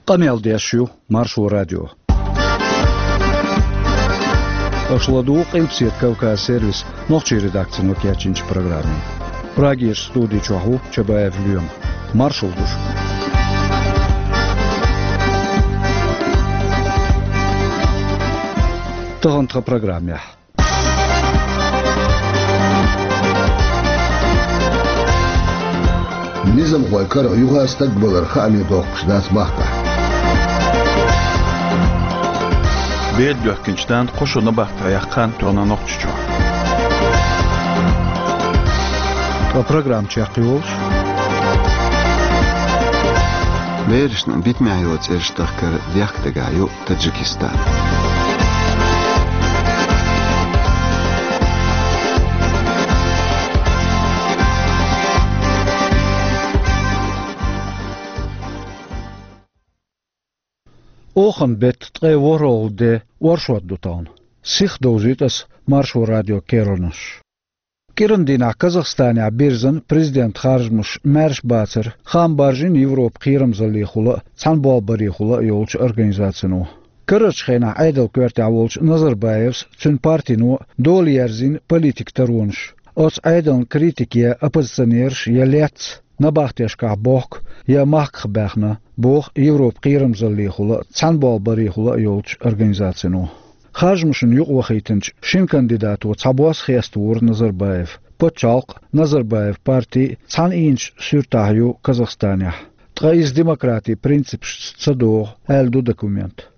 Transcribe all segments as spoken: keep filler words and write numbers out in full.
Къамел деш ю Маршо радио. Аша ладугӀу Къилбаседа Кавказ сервисан нохчийн редакцино кечйинчу программе. Прагерчу студи чохь ву Чабаев Лоьма. Маршалла ду шуьга. Тахана тхан программехь. Низамхойн карах юха стаг валар хааме доккхуш дац махкахь. Беда доьхкинчу дантан кхо шо набахтехь яккха хан тоьхна Нохчийчохь. Ткъа программа чекхйолуш. Берашна битамехь йолу цӀераш дахкар дехка дагахь ю Таджикистан. Охан беттан ткъе ворхӀалгӀа де оршот ду тахана. Сиха довзуьйту ас Маршо радион керланаш. КӀиран дийнахь Казахстанехь бирзина президентан харжамаш маьрша бацара, хаам баржийна Европан кхерамзаллехула а, цхьаьнаболбарехула а йолчу организацино. Карарчу хенахь Ӏедалан коьртехь волчу Назарбаевс а, цуьнан партино а дола ерзийна политикан таронаш. Оцу Ӏедална критика я оппозиционераш, я лецна набахтешкахь бохку, я махках баьхна, боху Европан кхерамзаллехула а, цхьаьнаболбарехула а йолчу организацино. Харжамашна юкъавахийтинчу шина кандидато цхьабосса хеставора Назарбаев, пачхьалкх а, Назарбаевн парти а цхьана ийначу суьртахь ю Казахстанехь. Ткъа иза демократин принципашца ца догӀу, аьлла ду документ.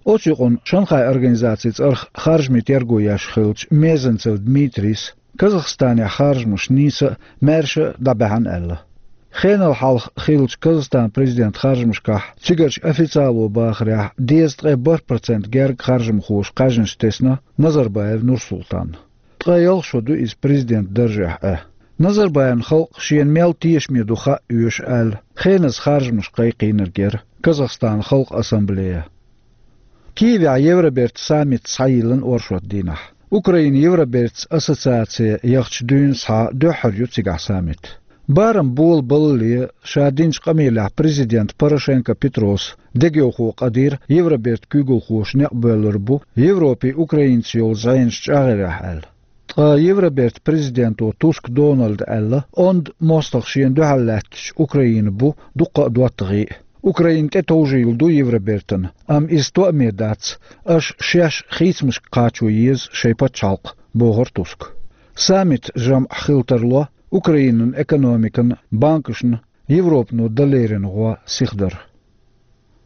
Оцу юкъана Шанхайн организацин цӀарах харжамийн терго еш хиллачу Мезенцев Дмитрийс Казахстанехь харжамаш нийса а, маьрша а дӀабаьхьна аьлла. Хенал хьалха хиллачу Казахстанан президентан харжамашкахь цигарчу официало бахарехь дезткъе бархӀ процент герга харжамхоша кхаьжнаш тесна Назарбаев Нурсултанна. Ткъе ялх шо ду иза президентан даржехь Ӏа. Назарбаевн халкъ шена мел тешаме ду хаа оьшу аьлла, хеназа харжамаш кхайкхийнарг яра Казахстанан Халкъан Ассамблея. Киевехь Евробертан саммит схьайиллина оршот дийнахь. Украина Евробертаца ассоциаци яхча дуьйна схьа дуьххьара ю цигахь саммит. Барам болабаллале, ша динчу къамелехь президент Порошенко Петрос дегайовхо къадийра Евробертан куьйгалхоша некъ боьллур бу Европин Украинаца йолу зӀенаш чӀагӀъярехь аьлла. Ткъа Евробертан президенто Туск Дональда аьлла, онда мостагӀа шена дуьхьал лаьттачу Украина бу дуккха а доттагӀий а. Украина тӀетовжийла ду Евробертана, амма иза тоаме дац, аша шаьш хийцамашка кхачо еза шайн пачхьалкх, бохура Туска. Саммитан жамӀ хила тарло Украинан экономикана, банкашна Европано дан леррина гӀо сиха дар.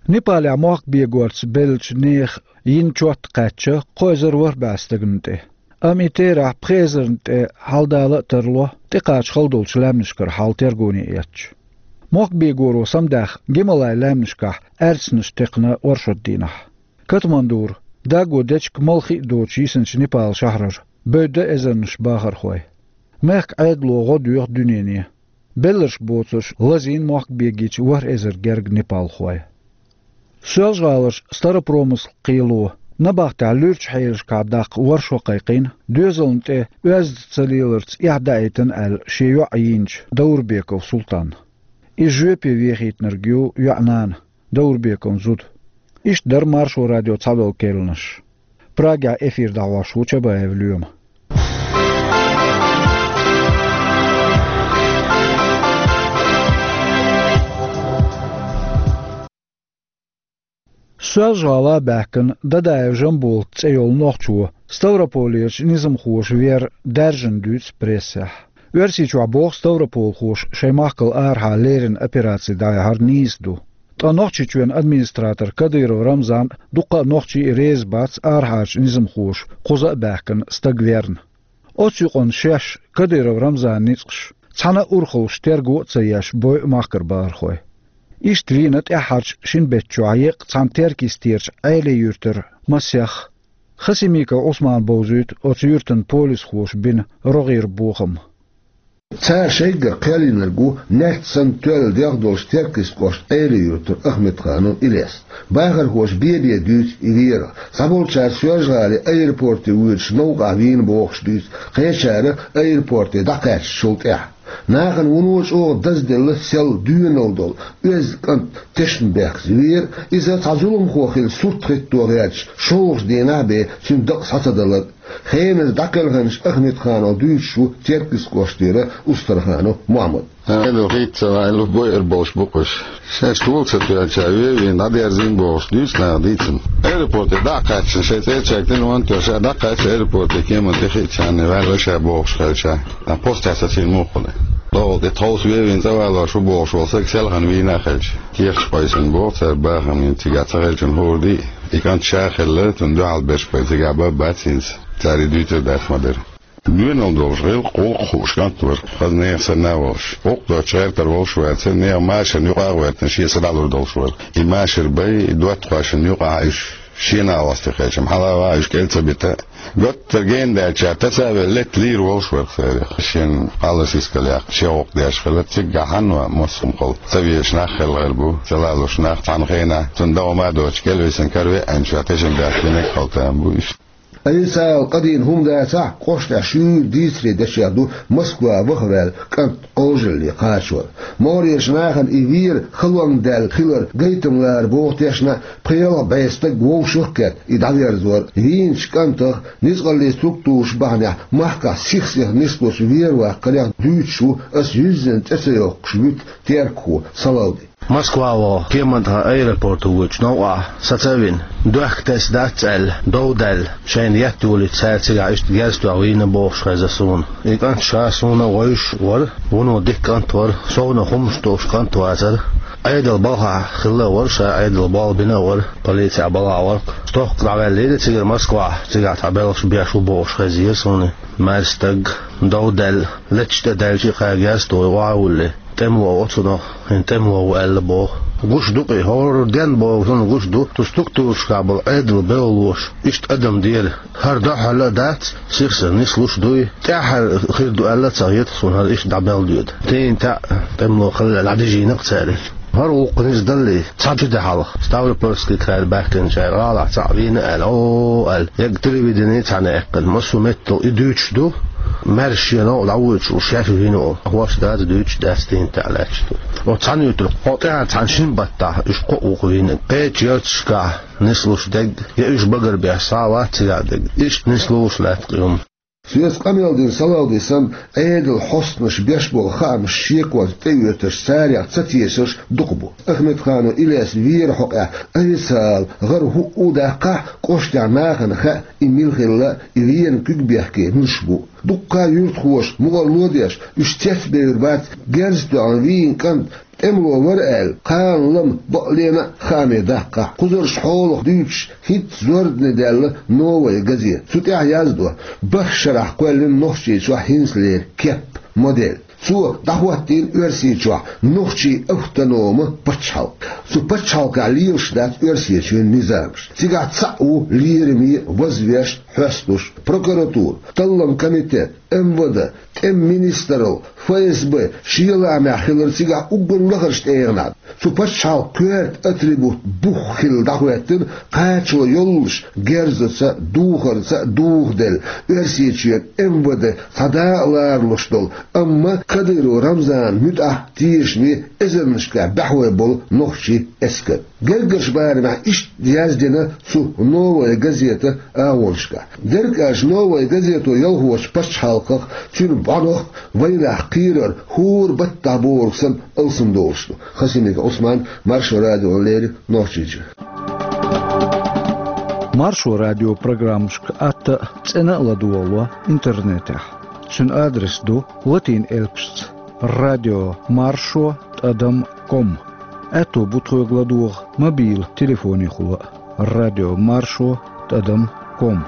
Непалехь мохк бегорца беллачу нехан йина чот кхаьчна кхо эзар ворхӀ бӀе стагана тӀе. Амма и терахь пхи эзарна тӀе хьаладала а тарло, тӀекхача хала долчу лаьмнашкара хьал тергоне эцча. Мохк бегоро самадаьхна Гималайн лаьмнашкахь аьрцнаш текхна оршот дийнахь. Катмандура, даго дечиг малхий а доцуш йисинчу Непал шахьарара, бевдда эзарнаш бахархой. Мехкан Ӏедало гӀо доьху дуьнене. Белларш боцурш лазийна мохк бегийча ворхӀ эзар герга непалхой. Соьлжа-ГӀалара Старопромыслан кхело набахтехь луьрачу хьелашкахь даккха ворхӀ шо кхайкхийна, доьзална тӀе оьзда ца леларца эхь даийтина аьлла шен йоӀ йийначу Даурбеков Султанна. Иза жоьпе вехийтинарг ю йоӀан нана, Даурбековн зуда. Иштта дара Маршо радион цхьадолу керланаш. Прагехь эфир дӀахьош ву Чабаев Лоьма. Соьлжа-ГӀала баьхкина Дадаев Жамбулат цӀе йолу нохчо Ставрополерчу низамхоша вер даьржина дуьйцу прессехь. Оьрсийчохь боху ставрополхоша шайн махкал арахьа леррина операци дӀаяхьар нийса ду. Ткъа Нохчийчоьнан администратор Кадыров Рамзан а, дуккха а нохчий а реза бац арахьарчу низамхоша кхуза а баьхкина стаг верна. Оцу юкъана шаьш Кадыров Рамзанан ницкъаш цхьана а урхаллаш терго а ца еш бойу махкара бахархой. Иштта вийна тӀаьххьарчу шина беттачохь еккъа цхьана Теркйистерчу Ӏелин-Юьртара масех. Хасимиков Ӏусмана бовзуьйту оцу юьртан полисхоша бина рогӀера бохам. Цара шайгара кхел йинарг ву, нетта санна тоьлла дегӀ долуш, Теркйист кӀоштан Ӏелин-Юьртара Ахмедханов Илес. Бахархоша бен-бен дуьйцу и верах. Цхьаболчара Соьлжа-ГӀалин аэропорте воьдуш новкъахь вийна бохуш дуьйцу, кхечара аэропорте дӀакхаьчначул тӀаьхьа. Нахана вуно чӀогӀа дазделла сел доьналла долу оьзда кӀант тешнабехказа веара, иза цхьа зуламхо хилла сурт хӀитто гӀерташ, шолгӀачу дийнахь бен цуьнан дакъа схьа ца далар. Хеназа дӀакхелхинчу Ахмедхановх дуьйцуш ву Теркйист кӀоштара Устарханов Мухьаммад. Хьан хӀинца ваьлла бойур болуш бу-кх уьш. Шаьш гул ца тоьлча, вевина, дӀадерзийна бохуш, дуьйцу наха дийцина. Аэропорте дӀа а кхаьччина, шайн цӀерачаьрга тӀе ван тоьлча, дӀакхаьчча, аэропорте кеман тӀе хиъчарна ваьлла ша бохуш хилча, а, постехь сацийна муха хуьлу. ДогӀал тӀе тховса вевина цӀа валош ву бохуш волу стаг селхана вийна а хилча, тешаш къойсина боху цара бахамийн цигахь ца хилчун хӀора дий, и кӀант ша хилла, цунна дуьхьал берш бен цигахь бан а бац хӀинца, цара и дуьйцур дац ма-дарра. Доьналла долуш, гӀиллакх, гӀуллакх хууш кӀант вара, хаза нехан санна а волуш. ГӀуллакх доцуш гӀертар волуш вацара, нехан машарна юкъа а гӀоьртина, шен са дӀалур долуш вара. И машар бай, и доттагӀашна юкъахь уьш шена а гӀостий хилча-м, хьала а ван уьш кӀел ца бита. Готтара гена даьлча, таса а велла, летта лийр волуш вара церах. Шен къаласискал яккха, шен гӀуллакх деш хилла, цигахь хьанна массо а хӀума хилла. Ца везаш нах хилла гӀайр бу, ца лалуш нах цхьана хенахь, цунна догӀма а доцуш, кӀелвисина каравеанча, тешам баьхкинарг а хилла тан бу уьш. Ӏийсал къадийна хӀума дацахь, кӀоштахь шуьйра дийцаре дечех ду Москва ваха ваьлла кӀант Ӏожалле кхачор. МогӀарерчу нахана и вер халонга даьлла хилар гайтам лара боху тешна, пхи-ялх бӀе стаг вовшах а кхетта и дӀаверзор. Вийначу кӀантах, ницкъаллин структураш бахьанехь махкахь сих-сиха нислуш вер ваккхарех дуьйцуш ву ас юьззина цӀе ца йоккхуш вуьту теркахо Салавди. Москва ваха кеман тӀехь аэропорто воьдучу новкъахь саца а вина, доьхка тесна дац аьлла, дов даьлла, шайна етта йолуьйту цара цигахь иштта герз тоьхна вийна бохуш хезна суна. И кӀант ша суна а вевзаш вара, вуно дика кӀант вара, совнаха хӀуманаш долуш кӀант вацара. Ӏедал балхахь хилла а вара ша, Ӏедал болх бина а вара, полицехь балхахь вара-кх. Стохка дӀаваьллера цигара Москвахь, цигахь цхьа белхаш беш ву бохуш хезира суна. Маьрша стаг, дов даьлла, леташ тӀе даьлча а кхаьргара стойгӀа а вуллий, тӀемало оцунах, хӀинца тӀемало ву аьлла боху. Гуш ду-кх и, хӀора ден боху, хӀунда гуш ду, цу структурашкахь болу Ӏедал бевллоша, иштта адам дера, хӀара дуьххьара а дац, сих-сиха нислуш дуй, тӀаьххьара хир ду аьлла а ца хета суна, хӀара иштта дӀабелла доьду. Тейна таьӀ тӀемало хилла дӀадижийна-кх цара. ХӀара гӀуллакх низа даллий, цхьа ши де хьалха, Ставропольский край баьхкинчара гӀалахь цхьаъ вийна аьлла, о, аьлла, яга телевидени цхьаьна аьккхина, массо а меттехь и дуьйцуш ду, маьрша шен новкъа дӀавоьдуш волу шаьш вийна волу. ХӀорш дац, дуьйцуш дац, тӀехь таьӀ лаьтташ ду. Оцу цхьаьна юьтург, кхо тӀаьхьара цхьана шина баттахь уьш кхоъ вукху вийна. Кхечу ярташкахь нислуш дерг, я уьш багарбеш схьа а вац цигахь дерг. Иштта нислуш лаьтта-кх и хӀума. Соьца къамел дина Салавди санна, Ӏедалан хьостанаша беш болу хаамаш шеконца тӀеоьцурш, царех ца тешарш дукха бу. Ахмедханов Илес веран хьокъехь официалан гӀара хӀуъу а даккхахь, кӀоштехь нахана хаьа, и мила хилла, и венан куьг бехке муьлш бу. Дуккха а юьртахоша мукъарло а деш, уьш цецбевр бац, герз тоьхна вийна кӀант тӀемало вара аьлла, кхана лама бакълена а хааме даккхахь. Кхузарш хьолах дуьйцуш, хӀинцца зорбане даьлла «Новая газета». Цу тӀехь яздо: бархӀ шарахь кхоьллина Нохчийчохь хӀинцалера кеп, модель. Цо дӀахӀоттийна Оьрсийчохь нохчийн автономи пачхьалкх. Цу пачхьалкхехь лелаш дац Оьрсийчоьнан низамаш. Цигахь цхьаъ ву лераме, вазвеш, хьоьстуш: прокуратура, талламан комитет, МВД, тӀеман министралла, ФСБ, шен лаамехь хилар цигахь уггар лахарчу тӀегӀанехь. Цу пачхьалкхан коьрта атрибут бух хилла дӀахӀоьттина, кхачо йоллуш герзаца а, духарца а духаделла, Оьрсийчоьнан МВД цхьа дакъа ларалуш долу, амма Кадыров Рамзанан муьтӀахь тешаме эзарнашкахь баьхьой болу нохчийн эскар. Гергарчу барамехь иштта яздина цу «Новая газета» агӀонашкахь. Дерг аьлча, «Новая газето» ялхочу пачхьалкхах, цуьнан бӀаьнах, вайнах кхерар хӀора баттахь бохург санна алсамдолуш ду. Хасимиков Ӏусман, Маршо радиона леррина, Нохчийчоь. Маршо радион программашка атта а, цӀена а ладогӀало интернетехь. Цуьнан адрес ду латин элпашца: радио маршо тӀадам ком. Аьтто бу тхоьга ладогӀа мобил телефонехула а: радио маршо тӀадам ком.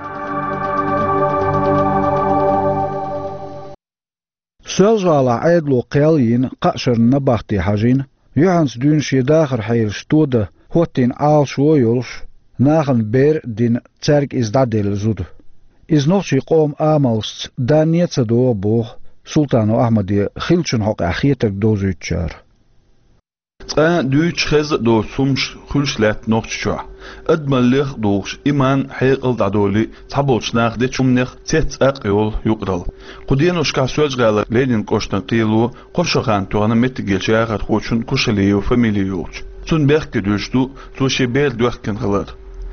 Соьлжа-ГӀалахь Ӏедало кхел а йина, кхаа шарна набахте хьажийна, юьхьанца дуьйна шен дахаран хьелаш тодан хӀоттийна Ӏалашо а йолуш, нахана бер а дина, цаьрга иза дӀаделла зуда. Иза нохчийн къоман амалшца данне а ца догӀу боху Султанов Ахьмаде хиллачун хьокъехь хетарг довзуьйтучара. Цкъа дуьйцуш хеза а доцу хӀумаш хуьлуш лаьтта Нохчийчохь. Адамаллех а духуш, иман, хьекъал дӀадолий, цхьаболчу наха дечу хӀуманех цец-цӀакъ йолу юкъаралла. Кху деношкахь Соьлжа-ГӀалара Ленин кӀоштан кхело кхо шо хан тоьхна меттигерчу яхархочун Кушалиев фамили йолчу. Цунна бехке дуьллуш ду цо шен бер доьхкина хилар.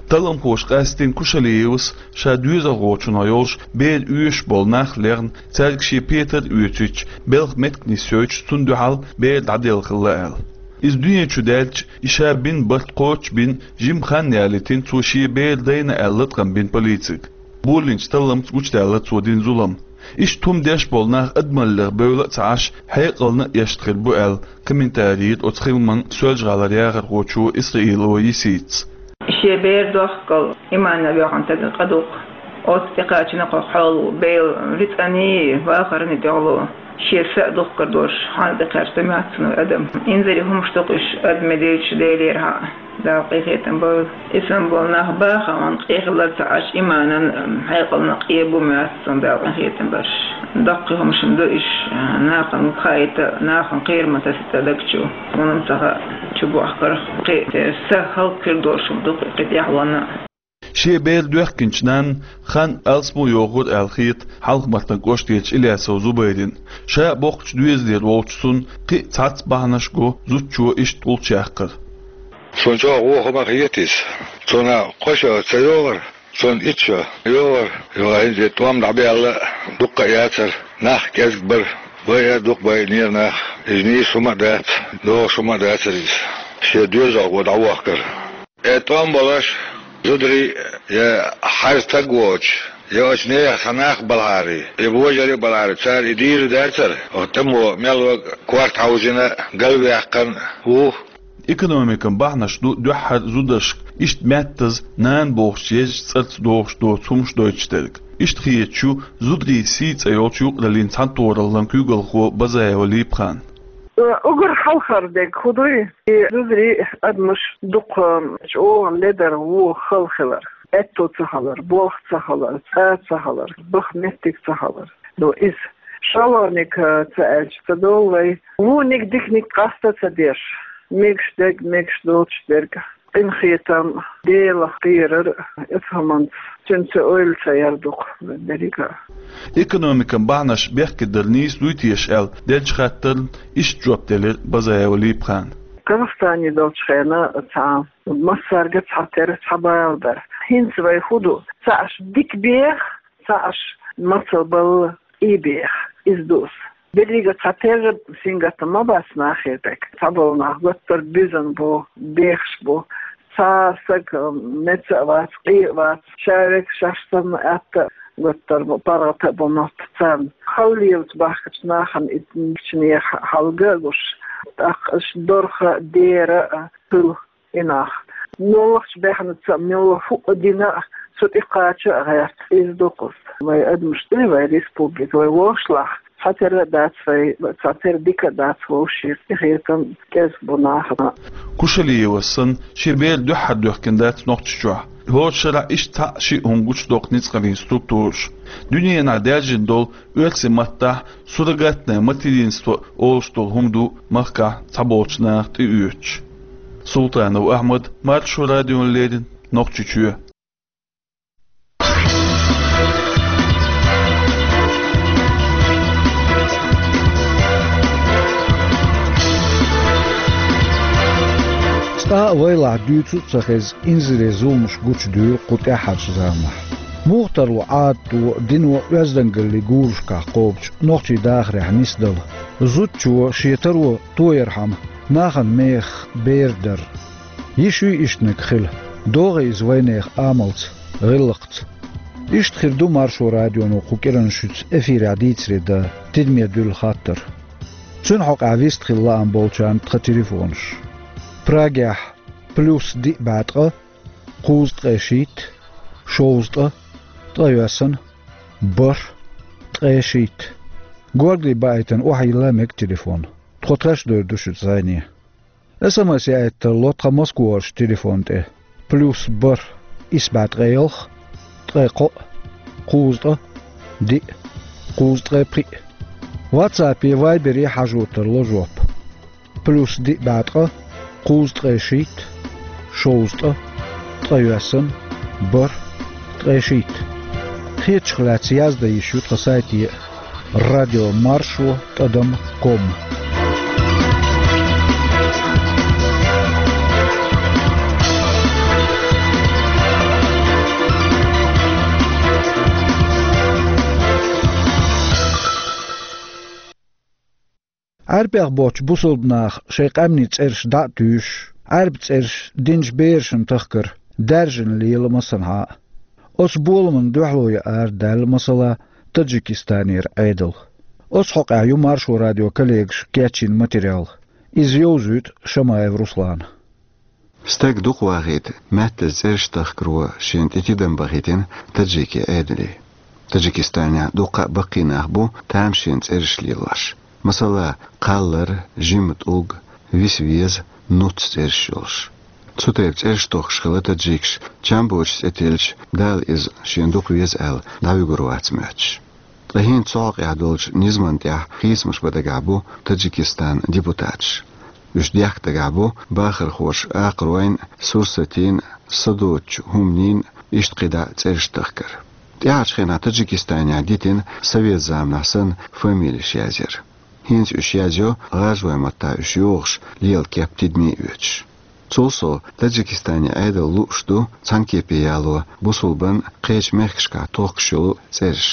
Талламхоша къаьстина Кушалиевас ша доьзалхочунах йолуш бер оьшуш болу нах лехна, цаьрга шен петар а оьцуьйтуш, белхан меттиг нисйойтуш, цунна дуьхьал бер дӀаделла хилла аьлла. Иза дуьне чу даьлча, и ша бина барт кхочушбина, жима хан ялийтина, цо шен бер дайна аьлла латкъам бина полицига. Болийначу талламца гучудаьлла цо дина зулам. Иштта хӀума деш болу нах адамаллех бевлла а ца Ӏаш, хьекъална а эшна хир бу аьлла, комментари йира оцу хиламан Соьлжа-ГӀалара яхархочо Исраилова Йиситас. Шен бер дохкал иманна воьхна стага къа ду-кх. Оцу тӀекхачийна кху хьоло, Делан рицкъаний, вахарний тӀехула. Шен са а духкур долуш, хьанна тӀекхаьчна ма яц цунна адам. Инзаре хӀумаш ду-кх уьш, адамийн дийцича, Делера хьа, Дала къинхетам бойла. Иштта болу нах бахарна къехилар ца Ӏаш, иманан, хьекъална къе бу ма яц цунна, Дала къинхетам барш. Доккхий хӀумаш ма ду уьш, нахана хаийта, нахана кхерам тасийта даг чу. Хьуна-м ца хаьа, чу бохкарх кхин а, са хӀаллакьхир долуш хӀума ду-кх и кхин тӀехь ванна. Шен бер доьхкинчу нанна хан алсамо йохура аьлла хета Хьалха-Мартан кӀоштарчу Илясов Зубайрина. Ша а боккхачу доьзалера волчу цунна кхин а цхьацца бахьанаш го зудчо иштта гӀулч яккхар. Цунна чӀогӀа вон хӀума хета иза. Цунна кхо шо ца йогӀура, цунна итт шо йогӀура. Юха хӀинца тӀом дӀабаьлла дуккха а яцара, нах кӀезиг бара, байъа а дукха байинера нах. Иза нийса хӀума а дац, догӀуш хӀума а дацара иза. Шен доьзалхо дӀавохкара. Э, тӀом болуш, зударий, я хьажа стаг воцуш, я оцу нехан цхьа нах балахьарий, я божарий а балахьарий, цара и дийр дацара, оцу тӀамо мел вага корта хьовзийна, галваьккхина ву. Экономикан бахьанаш ду дуьххьара зударшка иштта маьттаза нана бохучу езачу цӀарца догӀуш доцу хӀумаш дойтуш дерг. Иштта хеташ ю зударийн сий цӀе йолчу юкъараллин цхьаьнатохараллан куьйгалхо Базаева Липа-хан. Уггар хьалхара дерг хӀун ду? И зударий, адамаш дукха чӀогӀа ледара вон хала хилар, аьтто ца хилар, болх ца хилар, цӀа ца хилар, баха меттиг ца хилар. Ну, иза шолгӀаниг ца аьлча ца долу вай, вониг диканиг къаста ца деш, мегаш дерг, мегаш доцуш дерг, къинхетам, Делах кхерар, оцу хӀуманца цуьнца ойла ца яр ду-кх берриг а. Экономикан бахьанаш бехке дар нийса дуй теша аьлла деллачу хаттарна иштта жоп делира Базаева Липа-хана. Казахстане долчу хенахь цхьа массаьрга цхьатерра цхьа бала дара. ХӀинца вай хӀун ду? Цхьаъ аша дика беха, цхьаъ аша мацалла балла и беха. Иза ду аса. Беррига цхьатерра сингаттам ма бац нахе тӀе. Цхьаболу нах гуттар а буьзна бу, бехаш бу. Цхьа стаг меца а вац, къе а вац, ша верг шаьш санна атта а гуттар а бу, паргӀата а бу мотт царна. Хала лелачу бахкачу нахана и гичане хьалга а гуш, тӀаккха аша дорха а, дера а хуьлу и нах. Муьлххачу баьхнаца а, муьлхха хӀуъа дина а, цу тӀе кхача а гӀерта. Иза ду-кх аса. Вай адамаш ду, вай республика, вай вовшашлахь. Цхьатерра а дац вай, цхьатерра дика а дац вовшийн, къинхетам кӀезиг бу нахана. Кушалиевас санна, шен бер дуьххьара доьхкина дац Нохчийчохь. ХӀора шарахь иштта цхьаъ-шиъ хӀума гучудоккху ницкъаллин структураша. Дуьненахь даьржина долу оьрсийн маттахь суррогатное материнство олуш долу хӀума ду махкахь цхьаболчу наха тӀеоьцуш. Султанов Ахьмад, Маршо радиона леррина, Нохчийчоь. Цкъа а вайлахь дуьйцу а ца хеза, инзаре зуламаш гучудуьйлу кху тӀаьххьарчу заманахь. Муха тарло Ӏадато, дино оьздангаллин гурашкахь кхобучу нохчийн дахарехь нисдала? Зудчо шен таро тоярхьама нахана мехах бер дар. Йиш юй иштаниг хила, догӀий иза вайнехан амалца, гӀиллакхца? Иштта хир ду Маршо радионо кху кӀиранан шуьца эфирехь дийцаре дан тидаме дуьллу хаттар. Цуьнан хьокъехь вистхила лаам болчарна тхан телефонаш. Прагехь: плюс диъ бӀе ткъа, кхузткъе шийтта, шовзткъа, ткъайоьсна, бархӀ, ткъе шийтта. Горгали баийтина охьайилла мега телефон. Тхо тхаьш а дойр ду шуьца зӀене. СМС яийта тарло тхан Москварчу телефон тӀе: плюс бархӀ, исс бӀе ткъе ялх, ткъе кхоъ, кхузткъа, диъ, кхузткъе пхиъ. WhatsApp-е, Viber-е хьажо тарло жоп. Плюс диъ бӀе ткъа, кхузткъе шийтта, шовзткъа, ткъайоьсна, бархӀ, ткъе шийтта. Хетачух лаьцна яздан йиш ю тхан сайте а, радио маршо тӀадам ком. Ӏаьрбех боцчу бусалба наха шайн къаьмнийн цӀераш дӀа а туьйсуш, Ӏаьрбийн цӀераш динчу берашна тахкар даьржина лела массанхьа а. Оцу боламна дуьхьало яра даьлла, масала, Таджикистанера Ӏедал. Оцу хьокъехь ю Маршо радион коллегаша кечйина материал. Иза йовзуьйту Шамаев Руслана. Стаг дукха вахийта, маьттаза цӀераш тахкаро шена тӀе тидам бахийтина таджикийн Ӏедале. Таджикистанехь дуккха а баккхий нах бу тамашийна цӀераш лелош. Масала, Кхаллар, Жима тӀулг, Виса веза, Нуц цӀераш йолуш. Цу тайпа цӀераш тохкуш хилла таджикаш, чам боцуш цӀе тиллича, Дала иза шена дукха веза аьлла, дӀавуьгур вац моьттуш. Ткъа хӀинца цу хьокъехь долчу низамна тӀехь хийцамаш бан дагахь бу Таджикистанан депутаташ. Уьш дехка дагахь бу бахархоша Акхаройн а, Сурсатин а, Садоцучу ХӀуманин а, иштта кхидӀа а цӀераш тахкар. ТӀаьхьарчу хенахь Таджикистанехь дитина совет заманахь санна фамилеш язъяр. ХӀинца уьш язйо гӀажаройн маттахь уьш йохуш лела кеп тидаме а оьцуш. Цул сов, Таджикистанан Ӏедал лууш ду цхьана кепе яло бусулбан а, кхечу мехкашкахь тохкуш йолу цӀераш.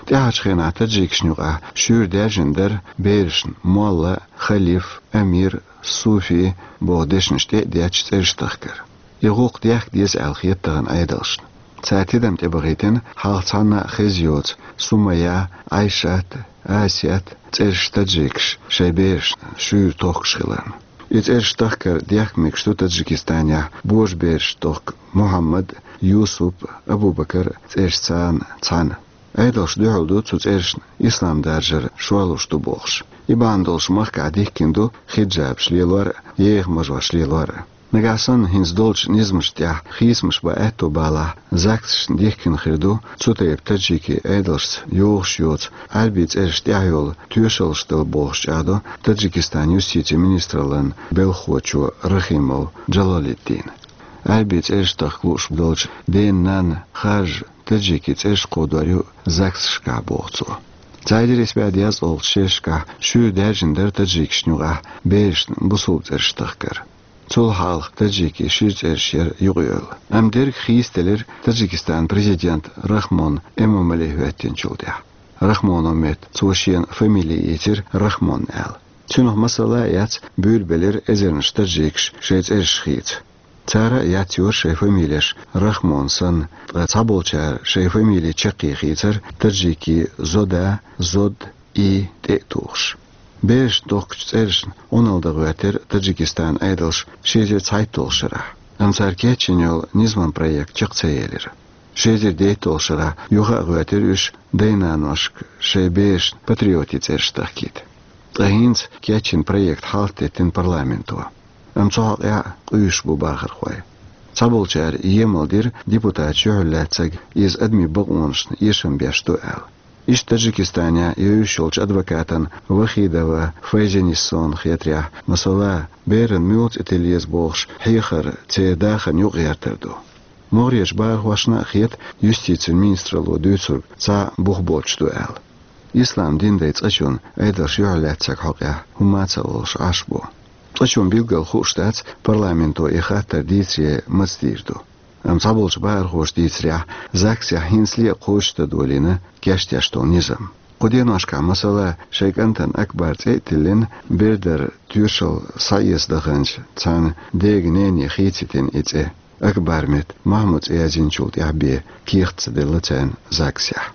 ТӀаьхьарчу хенахь таджикашна юкъахь шуьйра даьржина дара берашна Молла, Халиф, Амир, Суфи боху дешнаш тӀе а детташ цӀераш тахкар. И гӀуллакх дехка деза аьлла хета тахана Ӏедалшна. Цара тидам тӀебахийтина хьалха цхьанна а хезна йоцу Сумая, Ӏайшат, Асет цӀераш таджикаш шайн берашна шуьйра тохкуш хиларна. И цӀераш тахкар дехка мегаш ду Таджикистанехь божабераш тохка Мухьаммад, Юсуп, Абубакар цӀерашца цхьаьна. Ӏедалша дуьхьал ду цу цӀерашна ислам даржар шорлуш ду бохуш. И бахьана долуш махкахь дихкина ду хиджабаш лелор а, еха мажош лелор а. Нагахь санна хӀинца долчу низамашна тӀехь хийцамаш бан аьтто балахь, ЗАГСашна дихкина хир ду цу тайпа таджикийн Ӏедалшца йогӀуш йоцу Ӏаьрбийн цӀераш тӀехь йолу тоьшаллаш дала бохуш чӀагӀдо Таджикистанан юстицин министраллан белхахочо Рахимов Джалалиддина. Ӏаьрбийн цӀераш тахка лууш долчу ден-нанна харжа таджикийн цӀераш кховдор ю ЗАГСашкахь, боху цо. Цхьа эзар исс бӀе дезткъалгӀачу шерашкахь шуьйра даьржина дара таджикашна юкъахь берашна бусулба цӀераш тахкар. Цул хьалха таджикийн шира цӀераш яра юкъайовла. Амма дерг хийцаделира Таджикистанан президент Рахмон Эмомали хӀоьттинчул тӀаьхьа. Рахмоно метта цо шена фамили йийцира Рахмон аьлла. Цунах масала а эцна, буьйлабелира эзарнаш таджикаш шайн цӀераш хийца. Цара а эцна йора шайн фамилеш Рахмон санна, ткъа цхьаболчара шайн фамили чаккхе хийцара таджикийн Зода, Зод, и тӀе а тухуш. Берашна тохкучу цӀерашна Ӏуналла дан гӀоьртира Таджикистанан Ӏедалш ши эзар цхьайтталгӀачу шарахь, амма цара кечйина йолу низаман проект чекх ца елира. Ши эзар дейтталгӀачу шарахь юха а гӀоьртира уьш дай-наношка шайн берашна патриотийн цӀераш тахкийта. Ткъа хӀинца кечйина проект хьалхатеттина парламенто. Амма цу хьокъехь а къуьйсуш бу бахархой. Цхьаболчара емал дира депутаташ юьхьарлаьцнарг иза адамийн бакъонашна эшам беш ду аьлла. Иштта Таджикистанехь евзаш йолчу адвокатан Вахидова Файзениссон хетарехь, масала, беран муьлха цӀе тилла еза бохуш хьехар церан дахарна юкъагӀертар ду. МогӀарерчу бахархошна а хета юстицин министралло дуьйцург цхьа бух боцуш ду аьлла. Ислам дин дай цкъачунна Ӏедалш юьхьарлаьцнарг хьокъехь хӀумма а ца олуш Ӏаш бу. Цкъачунна билггал хууш дац парламенто и хаттар дийцаре маца дийр ду. Амма цхьаболчу бахархоша дийцарехь, ЗАГСехь хӀинцале а кхочушдан долийна кечдеш долу низам. Кху деношкахь, масала, шайн кӀантана Акбар цӀе а тиллина, бердар тоьшалла схьаэца даханчу цхьана дега-нене хийцаийтина и цӀе. Акбар метта Махьмуд цӀе язйинчул тӀаьхьа бен кехат ца делла царна ЗАГСехь.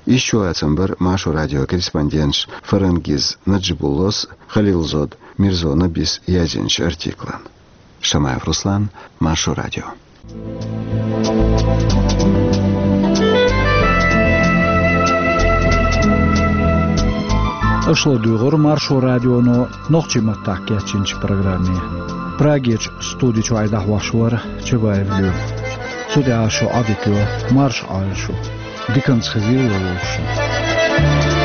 Иштта чулацам бара Маршо радион корреспонденташа Фарангиз Наджибуллос а, Халилзод Мирзо Набис а язйинчу артиклан. Шамаев Руслан, Маршо радио. Аша ладуьйгӀура Маршо радионо нохчийн маттахь кечйинчу программе. Прагерчу студи чуьра дӀахьош вара Чабаев Лоьма. Цу тӀехь шун Ӏадика йо, марша Ӏойла шу. Диканца хезийла вовшашна.